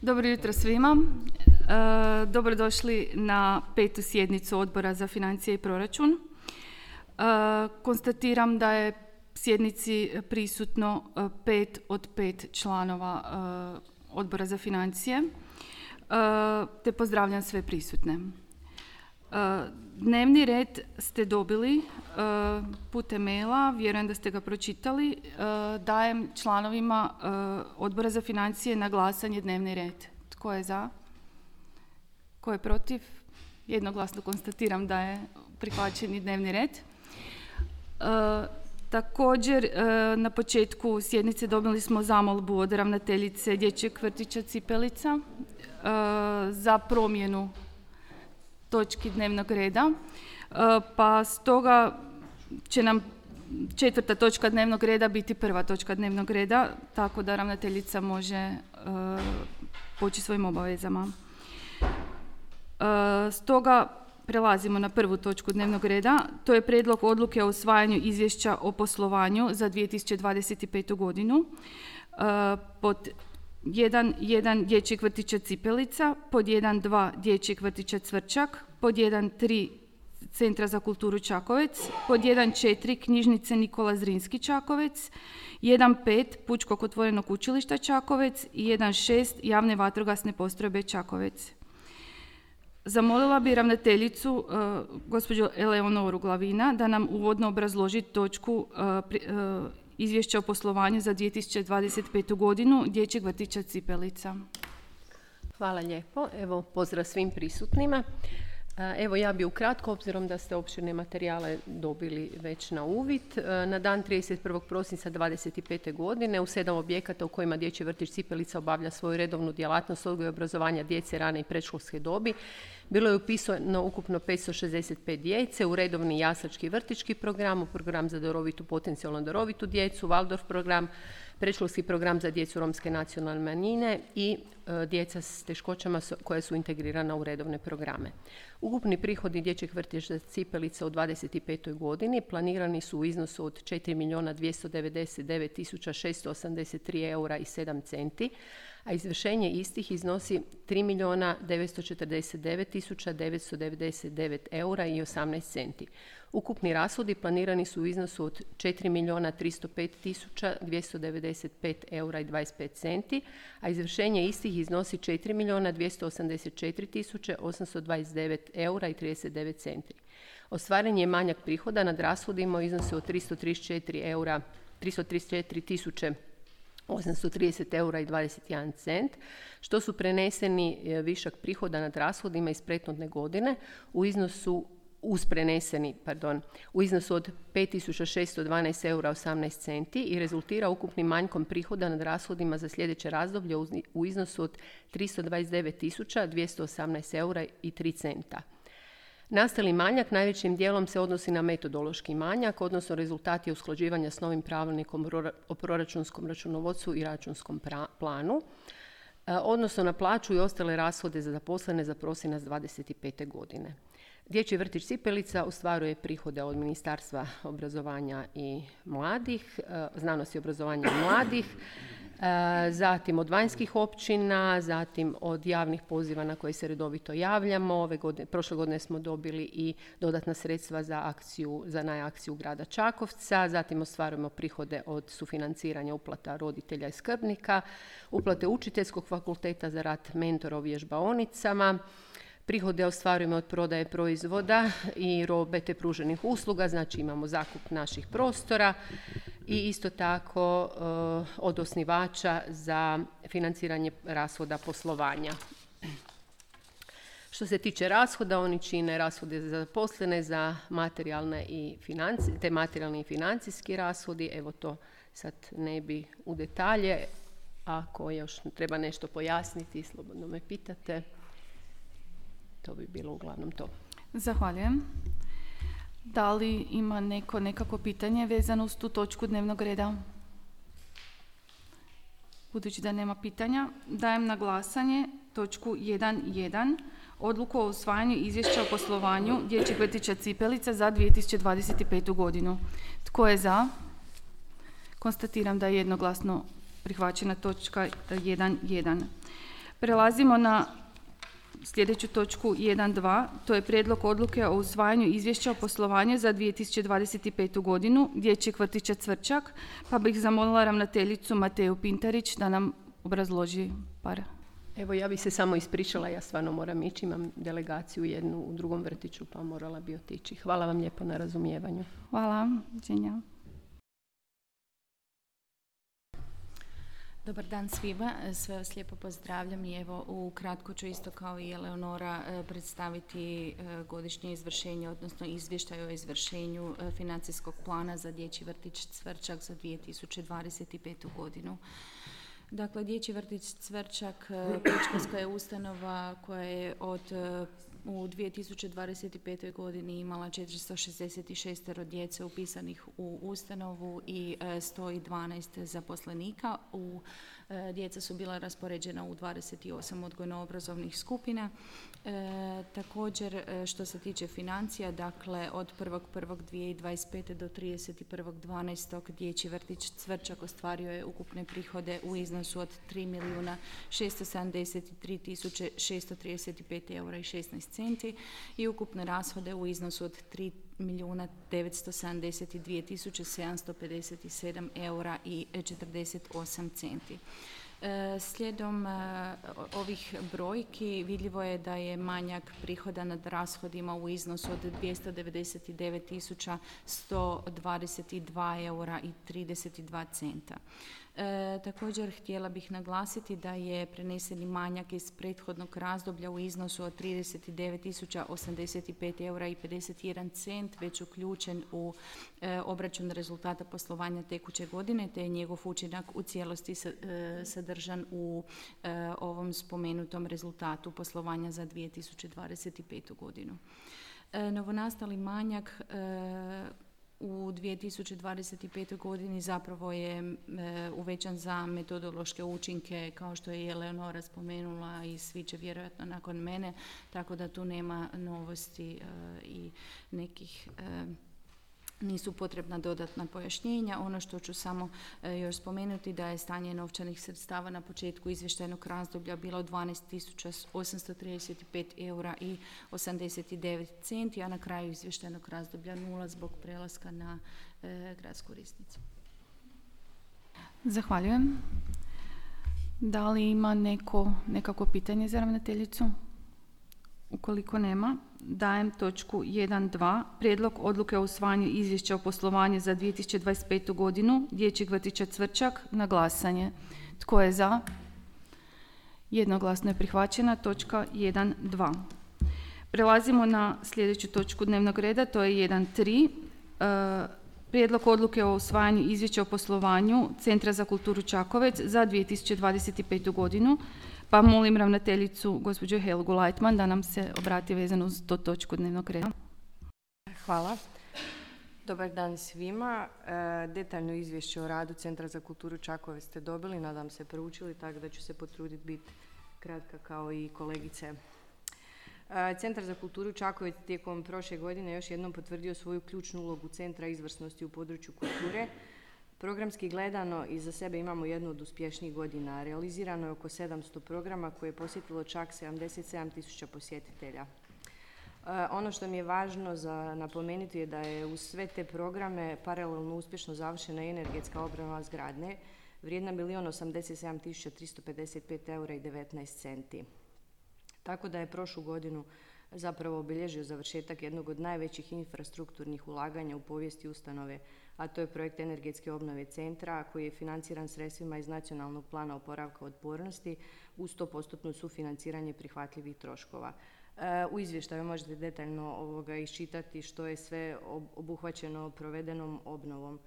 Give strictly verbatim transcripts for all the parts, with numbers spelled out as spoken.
Dobro jutro svima. E, dobrodošli na petu sjednicu Odbora za financije i proračun. E, konstatiram da je sjednici prisutno pet od pet članova e, Odbora za financije, e, te pozdravljam sve prisutne. E, dnevni red ste dobili e, putem maila, vjerujem da ste ga pročitali. E, dajem članovima e, Odbora za financije na glasanje dnevni red. Tko je za? Tko je protiv? Jednoglasno konstatiram da je prihvaćeni dnevni red. E, također, e, na početku sjednice dobili smo zamolbu od ravnateljice Dječjeg vrtića Cipelica e, za promjenu točki dnevnog reda, e, pa stoga će nam četvrta točka dnevnog reda biti prva točka dnevnog reda, tako da ravnateljica može e, poći svojim obavezama. E, stoga prelazimo na prvu točku dnevnog reda, to je prijedlog odluke o usvajanju izvješća o poslovanju za dvije tisuće dvadeset petu godinu e, pod jedan jedan Dječjeg vrtića Cipelica, pod jedan dva Dječjeg vrtića Cvrčak, pod jedan tri Centra za kulturu Čakovec, pod jedan četiri Knjižnice Nikola Zrinski Čakovec, jedan pet Pučkog otvorenog učilišta Čakovec i jedan šest Javne vatrogasne postrojbe Čakovec. Zamolila bi ravnateljicu, uh, gospođu Eleonoru Glavina, da nam uvodno obrazloži točku uh, pri, uh, izvješća o poslovanju za dvije tisuće dvadeset petu godinu Dječjeg vrtića Cipelica. Hvala lijepo. Evo, pozdrav svim prisutnima. Evo, ja bi ukratko, obzirom da ste opširne materijale dobili već na uvid, na dan trideset prvog prosinca dvadeset pete godine u sedam objekata u kojima Dječji vrtić Cipelica obavlja svoju redovnu djelatnost odgoja i obrazovanja djece rane i predškolske dobi, bilo je upisano ukupno petsto šezdeset pet djece u redovni jaslački vrtićki program, u program za darovitu, potencijalno darovitu djecu, Waldorf program, predškolski program za djecu romske nacionalne manjine i e, djeca s teškoćama koja su integrirana u redovne programe. Ukupni prihodi Dječjeg vrtića Cipelica u dvadeset petoj godini planirani su u iznosu od četiri milijuna dvjesto devedeset devet tisuća šesto osamdeset tri eura i sedam centi, a izvršenje istih iznosi tri milijuna devetsto četrdeset devet tisuća devetsto devedeset devet eura i osamnaest centi. Ukupni rashodi planirani su u iznosu od četiri milijuna tristo pet tisuća dvjesto devedeset pet eura i dvadeset pet centi, a izvršenje istih iznosi četiri milijuna dvjesto osamdeset četiri tisuće osamsto dvadeset devet eura i trideset devet centi. Ostvaren je manjak prihoda nad rashodima u iznosu od tristo trideset četiri eura, tristo trideset četiri tisuće osamsto trideset eura i dvadeset jedan cent, što su preneseni višak prihoda nad rashodima iz prethodne godine u iznosu uz preneseni, pardon, u iznosu od pet tisuća šesto dvanaest eura i osamnaest centi i rezultira ukupnim manjkom prihoda nad rashodima za sljedeće razdoblje u iznosu od tristo dvadeset devet tisuća dvjesto osamnaest eura i tri centa. Nastali manjak najvećim dijelom se odnosi na metodološki manjak, odnosno rezultati usklađivanja s novim pravilnikom o proračunskom računovodstvu i računskom pra- planu, odnosno na plaću i ostale rashode za zaposlene za prosinac dvadeset pete godine. Dječji vrtić Cipelica ostvaruje prihode od Ministarstva obrazovanja i mladih, znanosti i obrazovanja i mladih, zatim od vanjskih općina, zatim od javnih poziva na koje se redovito javljamo. Ove godine, prošle godine smo dobili i dodatna sredstva za akciju, za najakciju grada Čakovca, zatim ostvarujemo prihode od sufinanciranja uplata roditelja i skrbnika, uplate učiteljskog fakulteta za rad mentora u vježbaonicama, prihode ostvarujemo od prodaje proizvoda i robe te pruženih usluga, znači imamo zakup naših prostora i isto tako uh, od osnivača za financiranje rashoda poslovanja. Što se tiče rashoda, oni čine rashode za zaposlene, za materijalne i financi, te materijalni i financijski rashodi. Evo to sad ne bi u detalje. Ako još treba nešto pojasniti, slobodno me pitate. To bi bilo uglavnom to. Zahvaljujem. Da li ima neko nekako pitanje vezano uz tu točku dnevnog reda? Budući da nema pitanja, dajem na glasanje točku jedan jedan Odluku o usvajanju izvješća o poslovanju Dječjeg vrtića Cipelica za dvije tisuće dvadeset petu godinu. Tko je za? Konstatiram da je jednoglasno prihvaćena točka jedan jedan. Prelazimo na sljedeću točku jedan dva, to je prijedlog odluke o usvajanju izvješća o poslovanju za dvije tisuće dvadeset petu. godinu Dječjeg vrtića Cvrčak, pa bih zamolila ravnateljicu Mateju Pintarić da nam obrazloži par. Evo, ja bih se samo ispričala, ja stvarno moram ići, imam delegaciju jednu u drugom vrtiću, pa morala bi otići. Hvala vam lijepo na razumijevanju. Hvala, Đenja. Dobar dan svima, sve vas lijepo pozdravljam i evo ukratko ću isto kao i Eleonora predstaviti godišnje izvršenje, odnosno izvještaj o izvršenju financijskog plana za Dječji vrtić Cvrčak za dvije tisuće dvadeset petu. godinu. Dakle, Dječji vrtić Cvrčak predškolska je ustanova koja je od u dvije tisuće dvadeset petoj. godini imala četiristo šezdeset šest djece upisanih u ustanovu i sto dvanaest zaposlenika. U, djeca su bila raspoređena u dvadeset osam odgojno-obrazovnih skupina. E, također, što se tiče financija, dakle, od prvog prvog dvije tisuće dvadeset pete. do trideset prvog dvanaestog. Dječji vrtić Cvrčak ostvario je ukupne prihode u iznosu od tri milijuna šesto sedamdeset tri tisuće šesto trideset pet eura i šesnaest centi i ukupne rashode u iznosu od tri milijuna devetsto sedamdeset dvije tisuće sedamsto pedeset sedam eura i četrdeset osam centi. E, slijedom e, ovih brojki vidljivo je da je manjak prihoda nad rashodima u iznosu od dvjesto devedeset devet tisuća sto dvadeset dva eura i trideset dva centa. E, također htjela bih naglasiti da je preneseni manjak iz prethodnog razdoblja u iznosu od trideset devet tisuća osamdeset pet eura i pedeset jedan cent već uključen u e, obračun rezultata poslovanja tekuće godine, te je njegov učinak u cijelosti sa, e, sadržan u e, ovom spomenutom rezultatu poslovanja za dvije tisuće dvadeset petu. godinu. E, novonastali manjak e, u dvije tisuće dvadeset petoj. godini zapravo je e, uvećan za metodološke učinke, kao što je Eleonora spomenula i svi će vjerojatno nakon mene, tako da tu nema novosti e, i nekih e, nisu potrebna dodatna pojašnjenja. Ono što ću samo e, još spomenuti da je stanje novčanih sredstava na početku izvještajnog razdoblja bilo dvanaest tisuća osamsto trideset pet eura i osamdeset devet centi, a na kraju izvještajnog razdoblja nula zbog prelaska na e, gradsku riznicu. Zahvaljujem. Da li ima neko, nekako pitanje za ravnateljicu? Ukoliko nema, dajem točku jedan dva, prijedlog odluke o usvajanju izvješća o poslovanju za dvije tisuće dvadeset petu. godinu Dječjeg vrtića Cvrčak na glasanje. Tko je za? Jednoglasno je prihvaćena točka jedan dva. Prelazimo na sljedeću točku dnevnog reda, to je jedan tri. E, prijedlog odluke o usvajanju izvješća o poslovanju Centra za kulturu Čakovec za dvije tisuće dvadeset petu. godinu. Pa molim ravnateljicu, gospođu Helgu Lajtman, da nam se obrati vezano uz to točku dnevnog reda. Hvala. Dobar dan svima. E, detaljno izvješće o radu Centra za kulturu Čakovec ste dobili, nadam se proučili, tako da ću se potruditi biti kratka kao i kolegice. E, Centar za kulturu Čakovec tijekom prošle godine još jednom potvrdio svoju ključnu ulogu Centra izvrsnosti u području kulture. Programski gledano iza sebe imamo jednu od uspješnijih godina. Realizirano je oko sedamsto programa koje je posjetilo čak sedamdeset sedam tisuća posjetitelja. E, ono što mi je važno za napomenuti je da je uz sve te programe paralelno uspješno završena i energetska obnova zgradne vrijedna milijun osamdeset sedam tisuća tristo pedeset pet eura i devetnaest centi. Tako da je prošlu godinu zapravo obilježio završetak jednog od najvećih infrastrukturnih ulaganja u povijesti ustanove, a to je projekt energetske obnove centra koji je financiran sredstvima iz Nacionalnog plana oporavka otpornosti uz sto posto sufinanciranje prihvatljivih troškova. U izvještaju možete detaljno ovoga iščitati što je sve obuhvaćeno provedenom obnovom.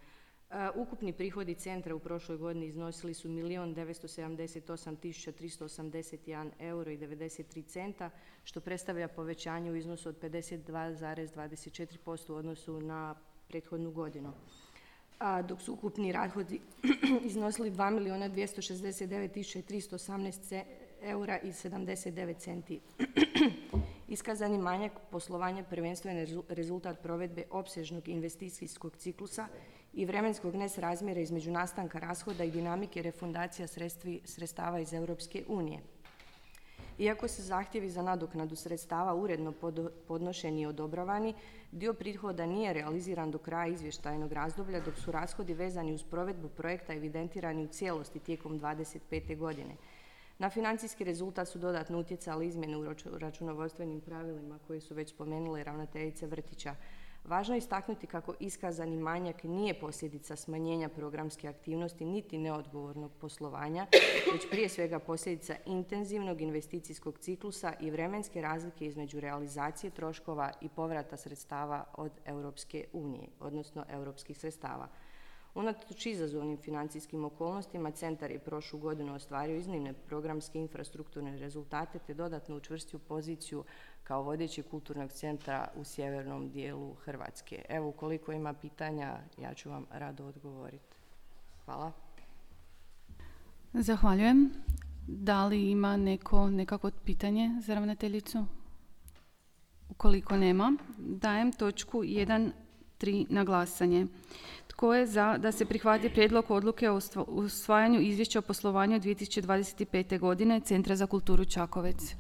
Ukupni prihodi centra u prošloj godini iznosili su milijun devetsto sedamdeset osam tisuća tristo osamdeset jedan euro i devedeset tri centa, što predstavlja povećanje u iznosu od pedeset dva zarez dvadeset četiri posto u odnosu na prethodnu godinu. A dok su ukupni rashodi iznosili dva milijuna dvjesto šezdeset devet tisuća tristo osamnaest eura i sedamdeset devet centi. Iskazani manjak poslovanja prvenstveno rezultat provedbe opsežnog investicijskog ciklusa i vremenskog nesrazmjera između nastanka rashoda i dinamike refundacija sredstvi, sredstava iz Europske unije. Iako se zahtjevi za nadoknadu sredstava uredno podnošeni i odobravani, dio prihoda nije realiziran do kraja izvještajnog razdoblja, dok su rashodi vezani uz provedbu projekta evidentirani u cijelosti tijekom dvadeset pete godine. Na financijski rezultat su dodatno utjecale izmjene u računovodstvenim pravilima koje su već spomenule ravnateljice vrtića. Važno je istaknuti kako iskazani manjak nije posljedica smanjenja programske aktivnosti niti neodgovornog poslovanja, već prije svega posljedica intenzivnog investicijskog ciklusa i vremenske razlike između realizacije troškova i povrata sredstava od Europske unije, odnosno europskih sredstava. Unatoč izazovnim financijskim okolnostima, centar je prošlu godinu ostvario iznimne programske infrastrukturne rezultate te dodatno učvrstio poziciju kao vodeći kulturnog centra u sjevernom dijelu Hrvatske. Evo, ukoliko ima pitanja, ja ću vam rado odgovoriti. Hvala. Zahvaljujem. Da li ima neko nekako pitanje za ravnateljicu? Ukoliko nema, dajem točku jedan tri na glasanje. Tko je za da se prihvati prijedlog odluke o usvajanju izvješća o poslovanju dvije tisuće dvadeset pete. godine Centra za kulturu Čakovec?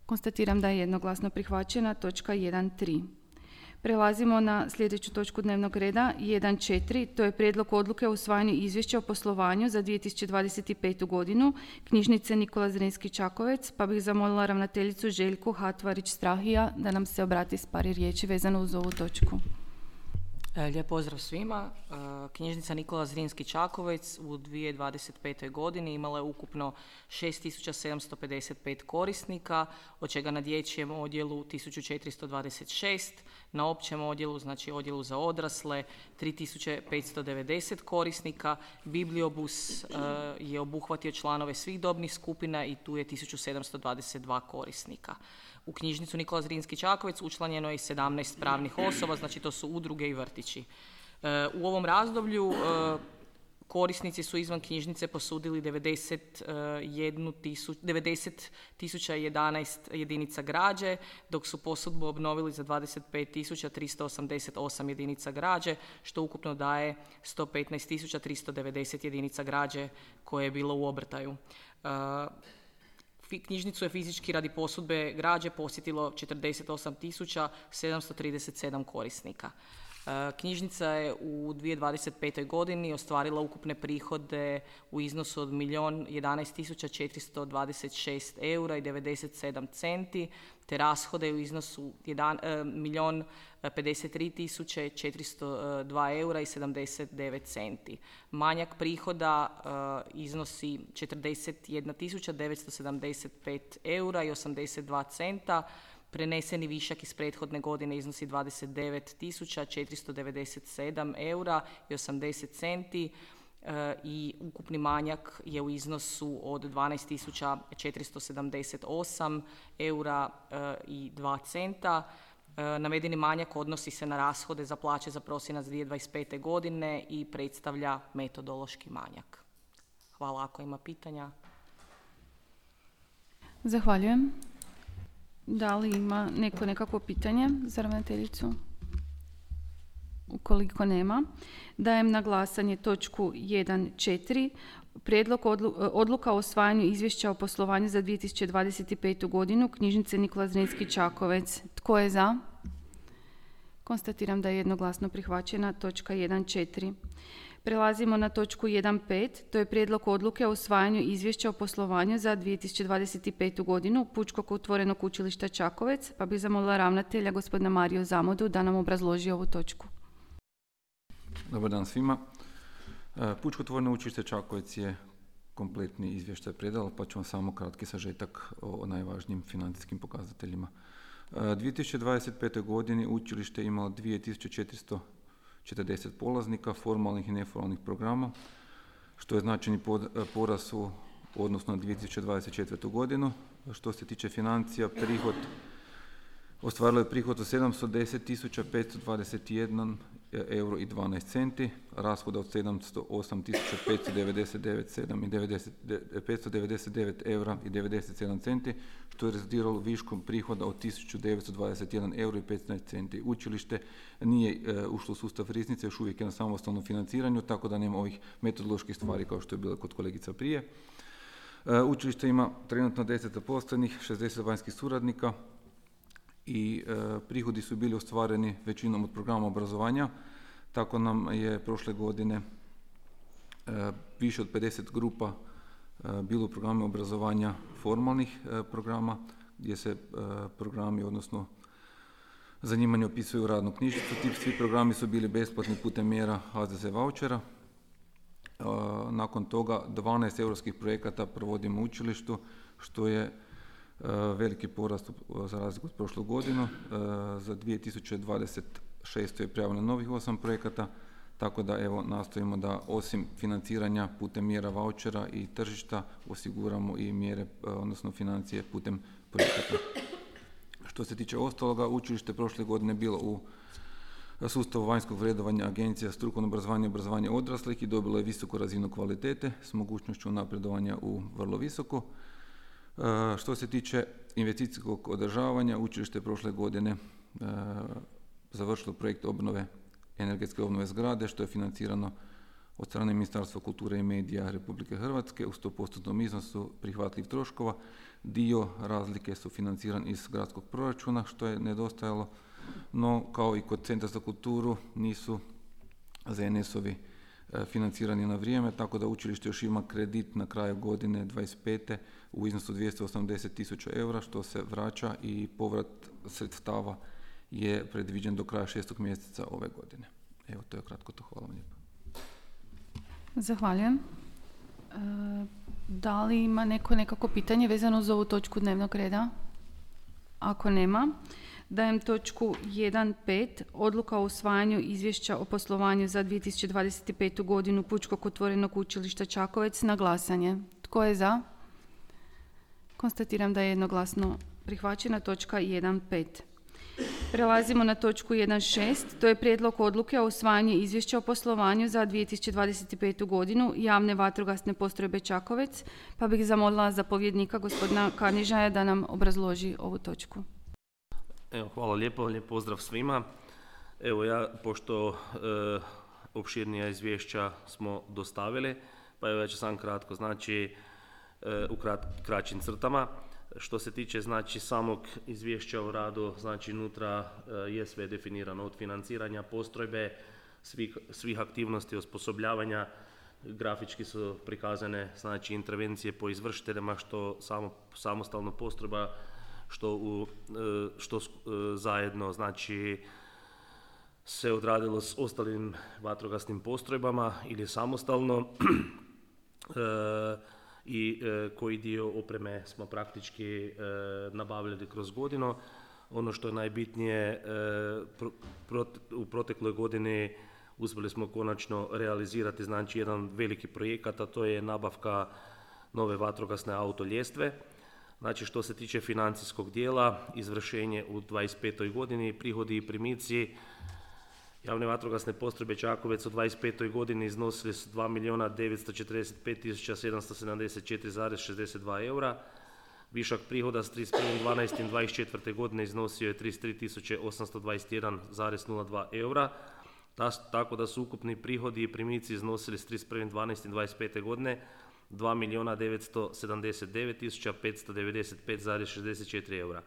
Konstatiram da je jednoglasno prihvaćena točka jedan tri. Prelazimo na sljedeću točku dnevnog reda jedan četiri. To je prijedlog odluke o usvajanju izvješća o poslovanju za dvije tisuće dvadeset petu. godinu Knjižnice Nikola Zrinski Čakovec, pa bih zamolila ravnateljicu Željku Hatvarić-Strahija da nam se obrati s par riječi vezano uz ovu točku. Lijep pozdrav svima. Knjižnica Nikola Zrinski Čakovec u dvije tisuće dvadeset petoj. godini imala je ukupno šest tisuća sedamsto pedeset pet korisnika, od čega na dječjem odjelu tisuću četiristo dvadeset šest, na općem odjelu, znači odjelu za odrasle, tri tisuće petsto devedeset korisnika. Bibliobus je obuhvatio članove svih dobnih skupina i tu je tisuću sedamsto dvadeset dva korisnika. U knjižnicu Nikola Zrinski Čakovec učlanjeno je sedamnaest pravnih osoba, znači to su udruge i vrtići. U ovom razdoblju korisnici su izvan knjižnice posudili devedeset tisuća jedanaest jedinica građe, dok su posudbu obnovili za dvadeset pet tisuća tristo osamdeset osam jedinica građe, što ukupno daje sto petnaest tisuća tristo devedeset jedinica građe koje je bilo u obrtaju. Knjižnicu je fizički radi posudbe građe posjetilo četrdeset osam tisuća sedamsto trideset sedam korisnika. Knjižnica je u dvije tisuće dvadeset petoj. godini ostvarila ukupne prihode u iznosu od milijun jedanaest tisuća četiristo dvadeset šest eura i devedeset sedam centi, te rashode u iznosu milijun pedeset tri tisuće četiristo dva eura i sedamdeset devet centi. Manjak prihoda uh, iznosi četrdeset jedna tisuća devetsto sedamdeset pet eura i osamdeset dva centa. Preneseni višak iz prethodne godine iznosi dvadeset devet tisuća četiristo devedeset sedam eura i osamdeset centi uh, i ukupni manjak je u iznosu od dvanaest tisuća četiristo sedamdeset osam eura uh, i dva centa. Navedeni manjak odnosi se na rashode za plaće za prosinac dvije tisuće dvadeset pete. godine i predstavlja metodološki manjak. Hvala ako ima pitanja. Zahvaljujem. Da li ima neko nekakvo pitanje za ravnateljicu? Ukoliko nema, dajem na glasanje točku jedan četiri. Prijedlog odluka o usvajanju izvješća o poslovanju za dvije tisuće dvadeset petu. godinu Knjižnice Nikola Zrinski Čakovec. Tko je za? Konstatiram da je jednoglasno prihvaćena točka jedan četiri. Prelazimo na točku jedan pet. To je prijedlog odluke o usvajanju izvješća o poslovanju za dvije tisuće dvadeset petu. godinu Pučkog otvorenog učilišta Čakovec, pa bih zamolila ravnatelja gospodina Mariju Zamodu da nam obrazloži ovu točku. Dobar dan svima. Pučko otvoreno učilište Čakovec je kompletni izvještaj predalo, pa ću vam samo kratki sažetak o najvažnijim financijskim pokazateljima. dvije tisuće dvadeset petoj. godini učilište je imalo dvije tisuće četiristo četrdeset polaznika, formalnih i neformalnih programa, što je značajni porast u odnosu na dvije tisuće dvadeset četvrtu. godinu. Što se tiče financija, prihod ostvarilo je prihod od sedamsto deset tisuća petsto dvadeset jedan euro i dvanaest centi, rashoda od sedamsto osam tisuća petsto devedeset devet eura i devedeset sedam centi, što je rezultiralo viškom prihoda od tisuću devetsto dvadeset jedan euro i petnaest centi. Učilište nije e, ušlo u sustav riznice, još uvijek je na samostalnom financiranju, tako da nema ovih metodoloških stvari kao što je bilo kod kolegica prije. Učilište ima trenutno deset zaposlenih, šezdeset vanjskih suradnika i prihodi su bili ostvareni većinom od programa obrazovanja. Tako nam je prošle godine više od pedeset grupa bilo u programu obrazovanja formalnih programa, gdje se programi, odnosno zanimanje opisuju u radnu knjižicu. Ti svi programi su bili besplatni putem mjera H Z Z vouchera. Nakon toga dvanaest europskih projekata provodimo u učilištu, što je veliki porast za razliku od prošlu godinu. Za dvije tisuće dvadeset šeste je prijavljeno novih osam projekata, tako da evo nastojimo da osim financiranja putem mjera vouchera i tržišta osiguramo i mjere, odnosno financije putem projekata. Što se tiče ostaloga, učilište prošle godine bilo u sustavu vanjskog vrednovanja Agencija strukovno obrazovanje i obrazovanje odraslih i dobilo je visoku razinu kvalitete s mogućnošću napredovanja u vrlo visoko. Što se tiče investicijskog održavanja, učilište prošle godine završilo projekt obnove, energetske obnove zgrade, što je financirano od strane Ministarstva kulture i medija Republike Hrvatske u sto postotnom iznosu prihvatljiv troškova. Dio razlike su financiran iz gradskog proračuna, što je nedostajalo, no kao i kod Centra za kulturu nisu Z N S-ovi financirani na vrijeme, tako da učilište još ima kredit na kraju godine dvadeset pete u iznosu dvjesto osamdeset tisuća eura, što se vraća i povrat sredstava je predviđen do kraja šestog mjeseca ove godine. Evo, to je kratko to. Hvala vam lijepo. Zahvaljujem. E, da li ima neko nekako pitanje vezano za ovu točku dnevnog reda? Ako nema, dajem točku jedan pet, odluka o usvajanju izvješća o poslovanju za dvije tisuće dvadeset petu godinu Pučkog otvorenog učilišta Čakovec na glasanje. Tko je za? Konstatiram da je jednoglasno prihvaćena točka jedan pet. Prelazimo na točku jedan šest, to je prijedlog odluke o usvajanju izvješća o poslovanju za dvije tisuće dvadeset petu godinu javne vatrogasne postrojbe Čakovec, pa bih zamolila zapovjednika gospodina Karnižaja da nam obrazloži ovu točku. Evo, hvala lijepo, lijep pozdrav svima. Evo ja, pošto e, opširnija izvješća smo dostavili, pa evo ja ću sam kratko, znači e, u krat, kraćim crtama. Što se tiče znači samog izvješća o radu, znači unutra e, je sve definirano od financiranja postrojbe, svih, svih aktivnosti osposobljavanja, grafički su prikazane znači intervencije po izvršiteljima, što samo, samostalno postrojba, što, u, e, što e, zajedno znači se odradilo s ostalim vatrogasnim postrojbama ili samostalno. e, i e, koji dio opreme smo praktički e, nabavljali kroz godinu. Ono što je najbitnije, e, pro, pro, u protekloj godini uspjeli smo konačno realizirati znači jedan veliki projekat, a to je nabavka nove vatrogasne autoljestve. Znači što se tiče financijskog dijela, izvršenje u dvadeset petoj godini, prihodi i primici javne vatrogasne postrojbe Čakovec u dvadeset petoj godini iznosili su dva milijuna devetsto četrdeset pet tisuća sedamsto sedamdeset četiri zarez šezdeset dva eura. Višak prihoda s trideset prvog dvanaestog dvadeset četvrte godine iznosio je trideset tri tisuće osamsto dvadeset jedan zarez nula dva eura. Tako da su ukupni prihodi i primici iznosili s trideset prvog dvanaestog dvadeset pete godine dva milijuna devetsto sedamdeset devet tisuća petsto devedeset pet zarez šezdeset četiri eura.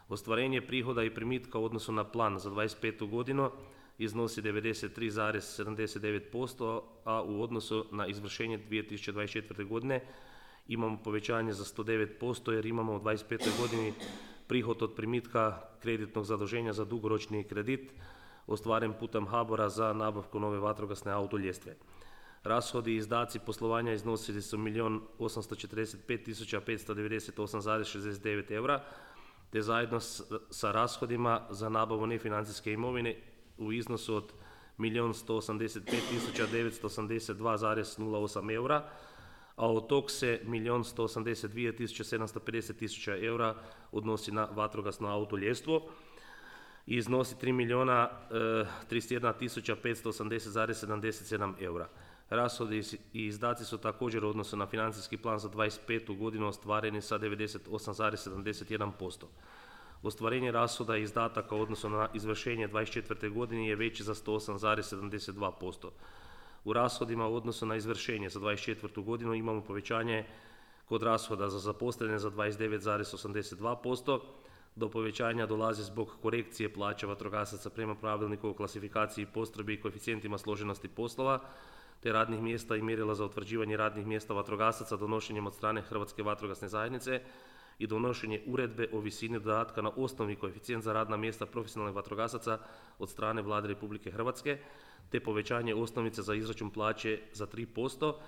Ostvarenje prihoda i primitka u odnosu na plan za dvadeset petu godinu iznosi devedeset tri zarez sedamdeset devet posto, a u odnosu na izvršenje dvije tisuće dvadeset četvrte godine imamo povećanje za sto devet posto jer imamo u dvadeset petoj godini prihod od primitka kreditnog zaduženja za dugoročni kredit ostvaren putem H B O R-a za nabavku nove vatrogasne autoljestve. Rashodi i izdaci poslovanja iznosili su milijun osamsto četrdeset pet tisuća petsto devedeset osam zarez šezdeset devet eura, te zajedno s, sa rashodima za nabavu nefinancijske imovine u iznosu od milijun sto osamdeset pet tisuća devetsto osamdeset dva zarez nula osam eura, a od tog se milijun sto osamdeset dvije tisuće sedamsto pedeset tisuća eura odnosi na vatrogasno autoljestvo i iznosi tri milijuna trideset jedna tisuća petsto osamdeset zarez sedamdeset sedam eura. Rashodi i izdaci su također u odnosu na financijski plan za dvadeset petu godinu ostvareni sa devedeset osam zarez sedamdeset jedan posto. Ostvarenje rashoda i izdataka u odnosu na izvršenje dvadeset četvrte godine je veći za sto osam zarez sedamdeset dva posto. U rashodima u odnosu na izvršenje za dvadeset četvrtu godinu imamo povećanje Kod rashoda za zaposlene za dvadeset devet zarez osamdeset dva posto. Do povećanja dolazi zbog korekcije plaća vatrogasaca prema pravilniku o klasifikaciji postrojbi i koeficijentima složenosti poslova, te radnih mjesta i mjerila za utvrđivanje radnih mjesta vatrogasaca donošenjem od strane Hrvatske vatrogasne zajednice i donošenje uredbe o visini dodatka na osnovni koeficijent za radna mjesta profesionalnih vatrogasaca od strane Vlade Republike Hrvatske, te povećanje osnovice za izračun plaće za tri posto,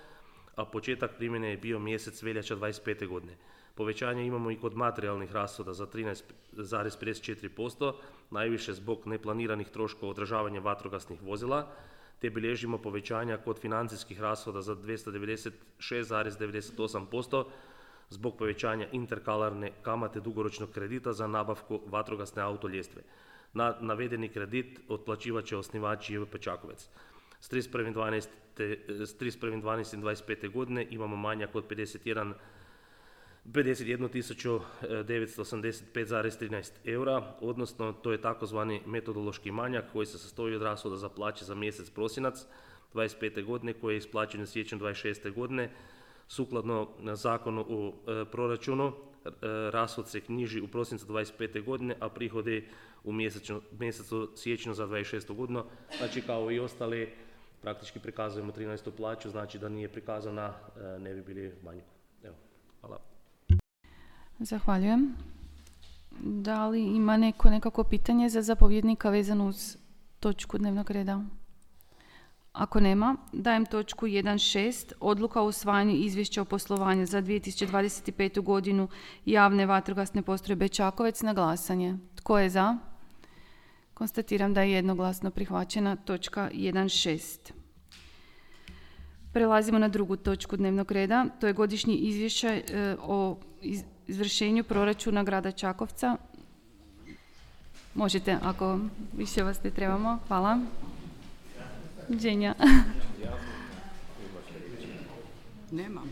a početak primjene je bio mjesec veljača dvadeset pete godine. Povećanje imamo i kod materijalnih rashoda za trinaest zarez pedeset četiri posto, najviše zbog neplaniranih troškova održavanja vatrogasnih vozila, te bilježimo povećanja kod financijskih rashoda za dvjesto devedeset šest zarez devedeset osam posto zbog povećanja interkalarne kamate dugoročnog kredita za nabavku vatrogasne autoljestve. Na navedeni kredit otplaćivat će osnivač J V P Čakovec. S trideset prvim dvanaestim dvadeset pete godine imamo manjak od pedeset jednu tisuću devetsto osamdeset pet zarez trinaest eura, odnosno to je takozvani metodološki manjak koji se sastoji od rashoda za plaće za mjesec prosinac dvadeset pete godine koji je isplaćen u siječnju dvadeset šeste godine. Sukladno zakonu o e, proračunu, e, rashod se knjiži u prosincu dvadeset pete godine, a prihodi u mjesečno, mjesecu siječnju za dvadeset šestu godinu. Znači kao i ostali, praktički prikazujemo trinaestu plaću, znači da nije prikazana, e, ne bi bili u manjku. Evo, hvala. Zahvaljujem. Da li ima neko nekako pitanje za zapovjednika vezano uz točku dnevnog reda? Ako nema, dajem točku jedan šest, odluka o usvajanju izvješća o poslovanju za dvije tisuće dvadeset petu godinu javne vatrogasne postrojbe Čakovec na glasanje. Tko je za? Konstatiram da je jednoglasno prihvaćena točka jedan šest. Prelazimo na drugu točku dnevnog reda, to je godišnji izvješće e, o iz, izvršenju proračuna grada Čakovca. Možete, ako više vas ne trebamo. Hvala. Dženja. Nemam.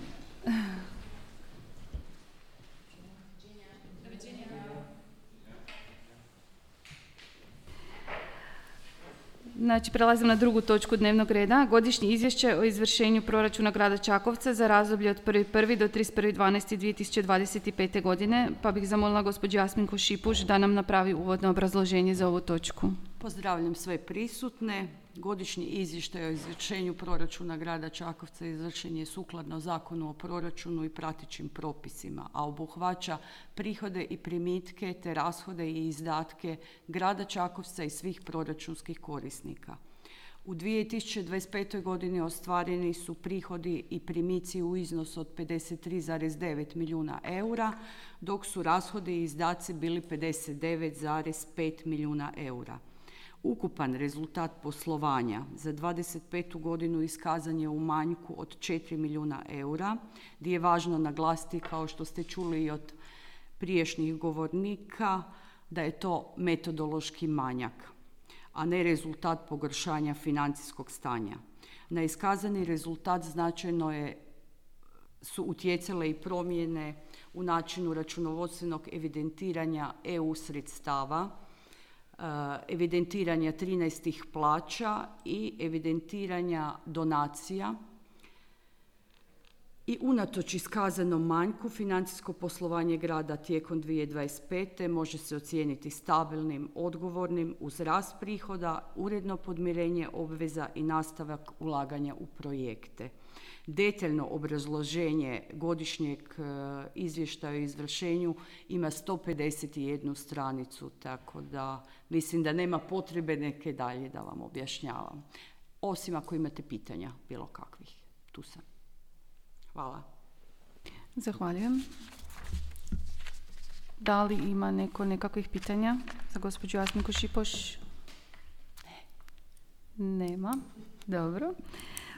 Znači, prelazim na drugu točku dnevnog reda. Godišnje izvješće o izvršenju proračuna grada Čakovca za razdoblje od prvi prvog do trideset prvog dvanaestog dvije tisuće dvadeset pete. godine, pa bih zamolila gospođu Jasminku Šipuš da nam napravi uvodno obrazloženje za ovu točku. Pozdravljam sve prisutne. Godišnji izvještaj o izvršenju proračuna grada Čakovca izvršen je sukladno Zakonu o proračunu i pratećim propisima, a obuhvaća prihode i primitke te rashode i izdatke grada Čakovca i svih proračunskih korisnika. U dvije tisuće dvadeset petoj. godini ostvareni su prihodi i primici u iznosu od pedeset tri zarez devet milijuna eura, dok su rashodi i izdaci bili pedeset devet zarez pet milijuna eura. Ukupan rezultat poslovanja za dvadeset petu. godinu iskazan je u manjku od četiri milijuna eura, gdje je važno naglasiti, kao što ste čuli i od prijašnjih govornika, da je to metodološki manjak, a ne rezultat pogoršanja financijskog stanja. Na iskazani rezultat značajno je, su utjecale i promjene u načinu računovodstvenog evidentiranja E U sredstava, evidentiranja trinaestih plaća i evidentiranja donacija. I unatoč iskazanom manjku, financijsko poslovanje grada tijekom dvije tisuće dvadeset pete. može se ocijeniti stabilnim, odgovornim uz rast prihoda, uredno podmirenje obveza i nastavak ulaganja u projekte. Detaljno obrazloženje godišnjeg izvještaja o izvršenju ima sto pedeset jednu stranicu, tako da mislim da nema potrebe neke dalje da vam objašnjavam. Osim ako imate pitanja bilo kakvih. Tu sam. Hvala. Zahvaljujem. Da li ima neko nekakvih pitanja za gospođu Jasminku Šipoš? Nema. Dobro.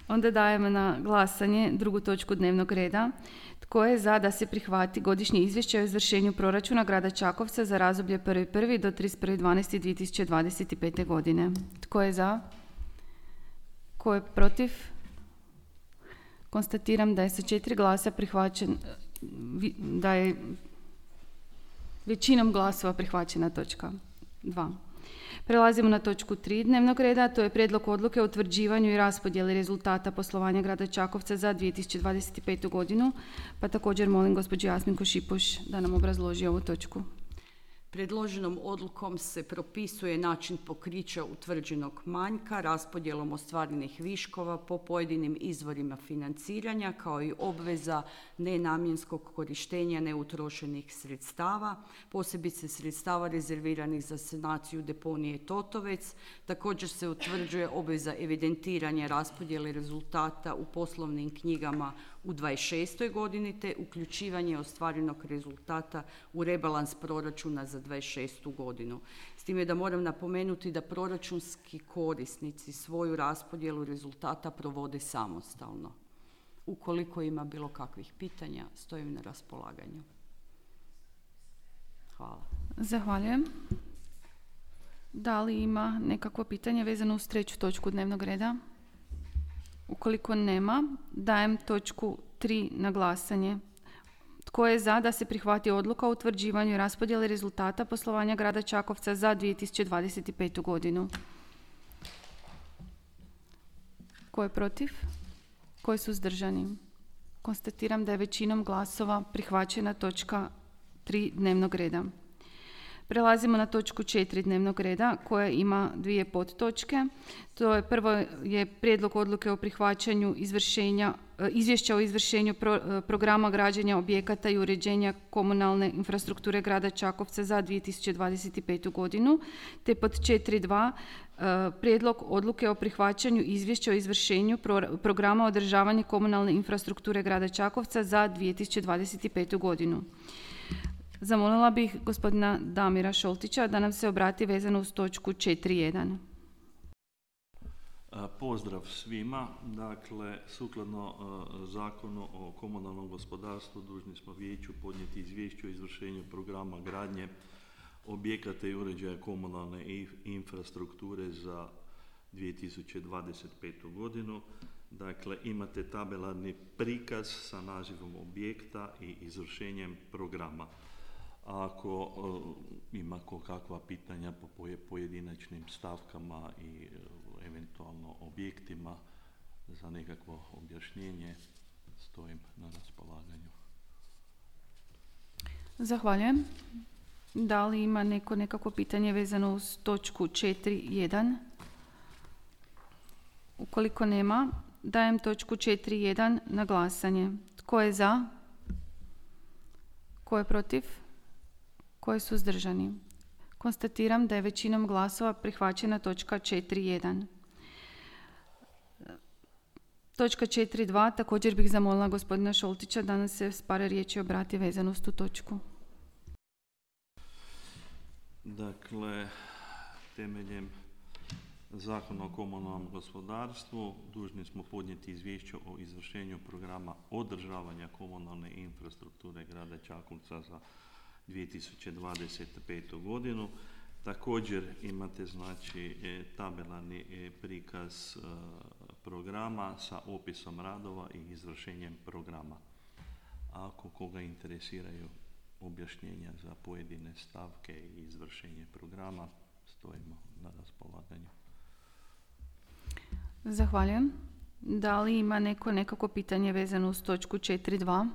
Onda dajemo na glasanje drugu točku dnevnog reda. Tko je za da se prihvati godišnje izvješće o izvršenju proračuna grada Čakovca za razdoblje prvi prvog do trideset prvog dvanaestog dvije tisuće dvadeset pete. godine? Tko je za? Tko je protiv? Konstatiram da je sa četiri glasa prihvaćen, da je većinom glasova prihvaćena točka dva. Prelazimo na točku tri dnevnog reda, to je prijedlog odluke o utvrđivanju i raspodjeli rezultata poslovanja grada Čakovca za dvije tisuće dvadeset petu godinu, pa također molim gospođu Jasminku Šipuš da nam obrazloži ovu točku. Predloženom odlukom se propisuje način pokrića utvrđenog manjka, raspodjelom ostvarenih viškova po pojedinim izvorima financiranja, kao i obveza nenamjenskog korištenja neutrošenih sredstava, posebice sredstava rezerviranih za sanaciju deponije Totovec. Također se utvrđuje obveza evidentiranja raspodjele rezultata u poslovnim knjigama u dvadeset šestoj godini te uključivanje ostvarenog rezultata u rebalans proračuna za dvadeset šestu godinu. S time da moram napomenuti da proračunski korisnici svoju raspodjelu rezultata provode samostalno. Ukoliko ima bilo kakvih pitanja, stojim na raspolaganju. Hvala. Zahvaljujem. Da li ima nekakvo pitanje vezano uz treću točku dnevnog reda? Ukoliko nema, dajem točku tri na glasanje. Tko je za da se prihvati odluka o utvrđivanju i raspodjeli rezultata poslovanja grada Čakovca za dvije tisuće dvadeset petu godinu? Tko je protiv? Tko je suzdržani? Konstatiram da je većinom glasova prihvaćena točka tri dnevnog reda. Prelazimo na točku četiri dnevnog reda koja ima dvije podtočke. To je prvo je prijedlog odluke o prihvaćanju izvršenja, izvješća o izvršenju pro, programa građenja objekata i uređenja komunalne infrastrukture grada Čakovca za dvije tisuće dvadeset petu godinu, te pod četiri dva prijedlog odluke o prihvaćanju izvješća o izvršenju pro, programa održavanja komunalne infrastrukture grada Čakovca za dvije tisuće dvadeset petu godinu. Zamolila bih gospodina Damira Šoltića da nam se obrati vezano uz točku četiri jedan. Pozdrav svima. Dakle, sukladno uh, zakonu o komunalnom gospodarstvu dužni smo vijeću podnijeti izvješće o izvršenju programa gradnje objekata i uređaja komunalne infrastrukture za dvije tisuće dvadeset petu godinu. Dakle, imate tabelarni prikaz sa nazivom objekta i izvršenjem programa. Ako uh, ima kakva pitanja po pojedinačnim stavkama i uh, eventualno objektima za nekakvo objašnjenje, stojim na raspolaganju. Zahvaljujem. Da li ima neko nekako pitanje vezano uz točku četiri jedan? Ukoliko nema, dajem točku četiri jedan na glasanje. Tko je za? Tko je protiv? Tko je suzdržani? Konstatiram da je većinom glasova prihvaćena točka četiri jedan. Točka četiri dva, također bih zamolila gospodina Šoltića da nam se s par riječi obrati vezano uz tu točku. Dakle, temeljem Zakona o komunalnom gospodarstvu dužni smo podnijeti izvješće o izvršenju programa održavanja komunalne infrastrukture grada Čakovca za dvije tisuće dvadeset petu godinu. Također imate znači tabelarni prikaz programa sa opisom radova i izvršenjem programa. Ako koga interesiraju objašnjenja za pojedine stavke i izvršenje programa, stojimo na raspolaganju. Zahvaljujem. Da li ima neko nekako pitanje vezano uz točku četiri dva?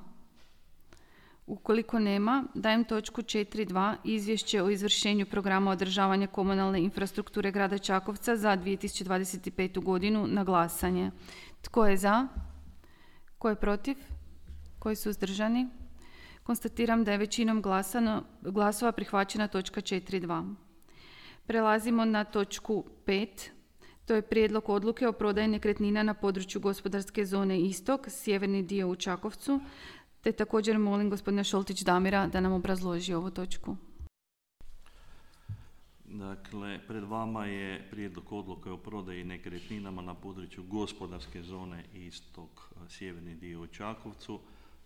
Ukoliko nema, dajem točku četiri dva izvješće o izvršenju programa održavanja komunalne infrastrukture grada Čakovca za dvije tisuće dvadeset petu godinu na glasanje. Tko je za? Tko je protiv? Tko je suzdržani? Konstatiram da je većinom glasano, glasova prihvaćena točka četiri dva. Prelazimo na točku pet. To je prijedlog odluke o prodaji nekretnina na području gospodarske zone Istok, sjeverni dio u Čakovcu, te također molim gospodina Šoltić Damira da nam obrazloži ovu točku. Dakle, pred vama je prijedlog odluke o prodaji nekretninama na području gospodarske zone Istok, sjeverni dio u Čakovcu.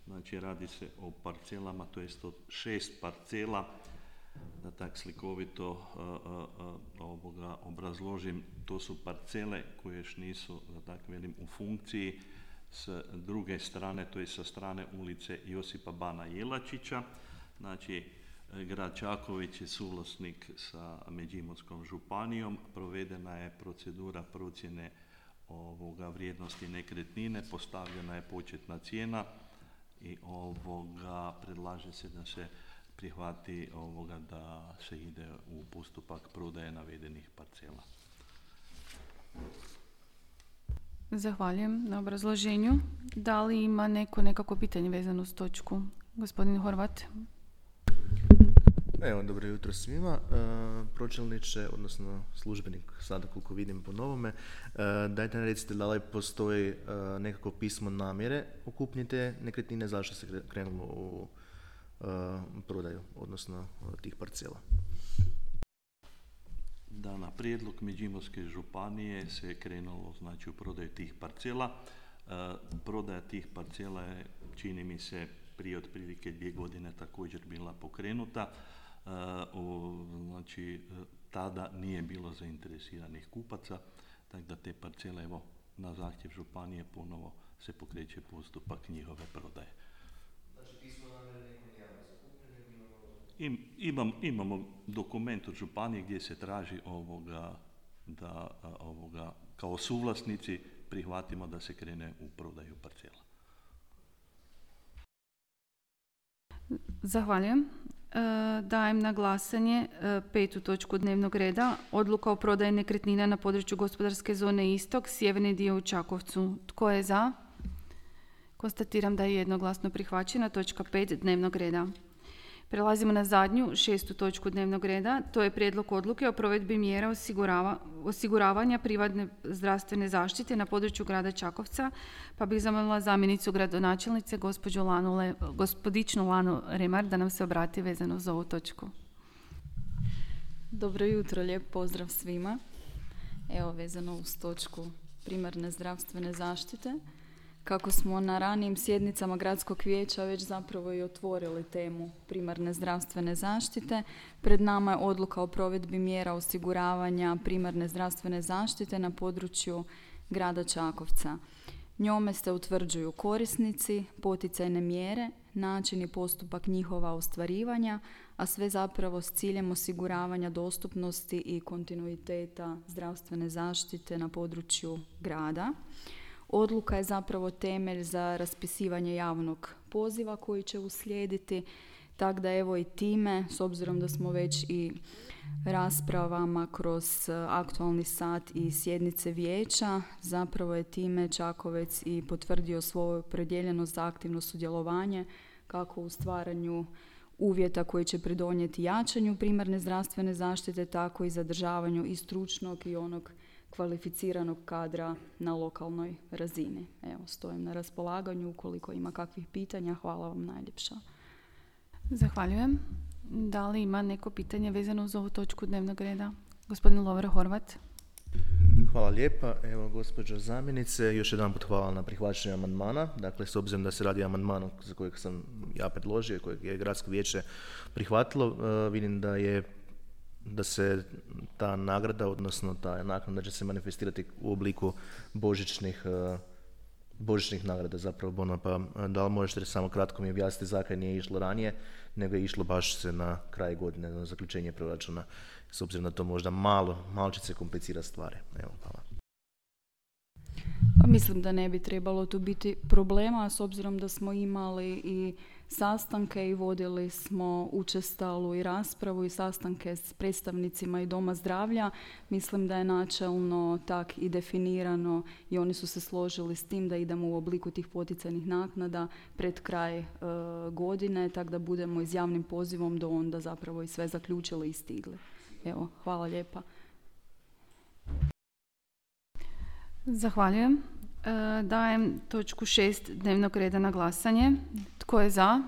Znači, radi se o parcelama, to jest od šest parcela. Da tak slikovito uh, uh, ovoga obrazložim, to su parcele koje još nisu, da tak velim, u funkciji. S druge strane, to je sa strane ulice Josipa Bana Jelačića. Znači, Grad Čakovec je suvlasnik sa Međimurskom županijom. Provedena je procedura procjene ovoga vrijednosti nekretnine, postavljena je početna cijena i ovoga predlaže se da se prihvati ovoga da se ide u postupak prodaje navedenih parcela. Zahvaljujem na obrazloženju. Da li ima neko nekako pitanje vezano uz točku? Gospodin Horvat. Evo, dobro jutro svima. E, pročelniče, odnosno službenik, sada koliko vidim po novome, e, dajte nam recite da li postoji e, nekako pismo namjere o kupnji te nekretnine, zašto se krenulo u e, prodaju, odnosno tih parcela. Da, na prijedlog Međimurske županije se krenulo znači u prodaju tih parcela. E, prodaja tih parcela je, čini mi se, prije otprilike dvije godine također bila pokrenuta. Uh, o, znači tada nije bilo zainteresiranih kupaca, tako da te parcele evo na zahtjev županije ponovo se pokreće postupak njihove prodaje. Znači pismo namjere neko nije zakupljeno? Im, imam, imamo dokument od županije gdje se traži ovoga da ovoga kao suvlasnici prihvatimo da se krene u prodaju parcela. Zahvaljujem. Dajem na glasanje petu točku dnevnog reda. Odluka o prodaji nekretnina na području gospodarske zone Istok, sjeverni dio u Čakovcu. Tko je za? Konstatiram da je jednoglasno prihvaćena točka pet dnevnog reda. Prelazimo na zadnju, šestu točku dnevnog reda. To je prijedlog odluke o provedbi mjera osigurava, osiguravanja privatne zdravstvene zaštite na području grada Čakovca, pa bih zamolila zamjenicu gradonačelnice, gospođu Lanu Le, gospodičnu Lanu Remar, da nam se obrati vezano za ovu točku. Dobro jutro, lijep pozdrav svima. Evo, vezano uz točku primarne zdravstvene zaštite. Kako smo na ranijim sjednicama gradskog vijeća već zapravo i otvorili temu primarne zdravstvene zaštite, pred nama je odluka o provedbi mjera osiguravanja primarne zdravstvene zaštite na području grada Čakovca. Njome se utvrđuju korisnici, poticajne mjere, način i postupak njihova ostvarivanja, a sve zapravo s ciljem osiguravanja dostupnosti i kontinuiteta zdravstvene zaštite na području grada. Odluka je zapravo temelj za raspisivanje javnog poziva koji će uslijediti, tako da evo i time, s obzirom da smo već i raspravama kroz aktualni sat i sjednice vijeća, zapravo je time Čakovec i potvrdio svoju opredjeljenost za aktivno sudjelovanje kako u stvaranju uvjeta koji će pridonijeti jačanju primarne zdravstvene zaštite, tako i zadržavanju i stručnog i onog kvalificiranog kadra na lokalnoj razini. Evo, stojim na raspolaganju ukoliko ima kakvih pitanja. Hvala vam najljepša. Zahvaljujem. Da li ima neko pitanje vezano uz ovu točku dnevnog reda? Gospodin Lovro Horvat. Hvala lijepa. Evo, gospođo zamjenice, još jedan put hvala na prihvaćanju amandmana. Dakle, s obzirom da se radi o amandmanu za kojeg sam ja predložio, kojeg je gradsko vijeće prihvatilo, uh, vidim da je da se ta nagrada, odnosno ta naknada će se manifestirati u obliku božićnih, uh, božićnih nagrada, zapravo bona, pa da li možete samo kratko mi objasniti zakaj nije išlo ranije, nego je išlo baš se na kraj godine, na zaključenje proračuna, s obzirom da to možda malo, malo će se komplicirati stvari. Evo, hvala. Pa mislim da ne bi trebalo tu biti problema, s obzirom da smo imali i sastanke i vodili smo učestalu i raspravu i sastanke s predstavnicima i Doma zdravlja. Mislim da je načelno tak i definirano i oni su se složili s tim da idemo u obliku tih poticajnih naknada pred kraj e, godine, tako da budemo i s javnim pozivom do onda zapravo i sve zaključili i stigli. Evo, hvala lijepa. Zahvaljujem. E, dajem točku šest dnevnog reda na glasanje. Tko je za?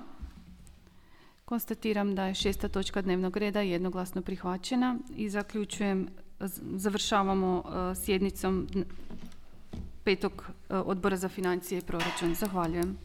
Konstatiram da je šesta točka dnevnog reda jednoglasno prihvaćena i zaključujem, završavamo e, sjednicom petog e, odbora za financije i proračun. Zahvaljujem.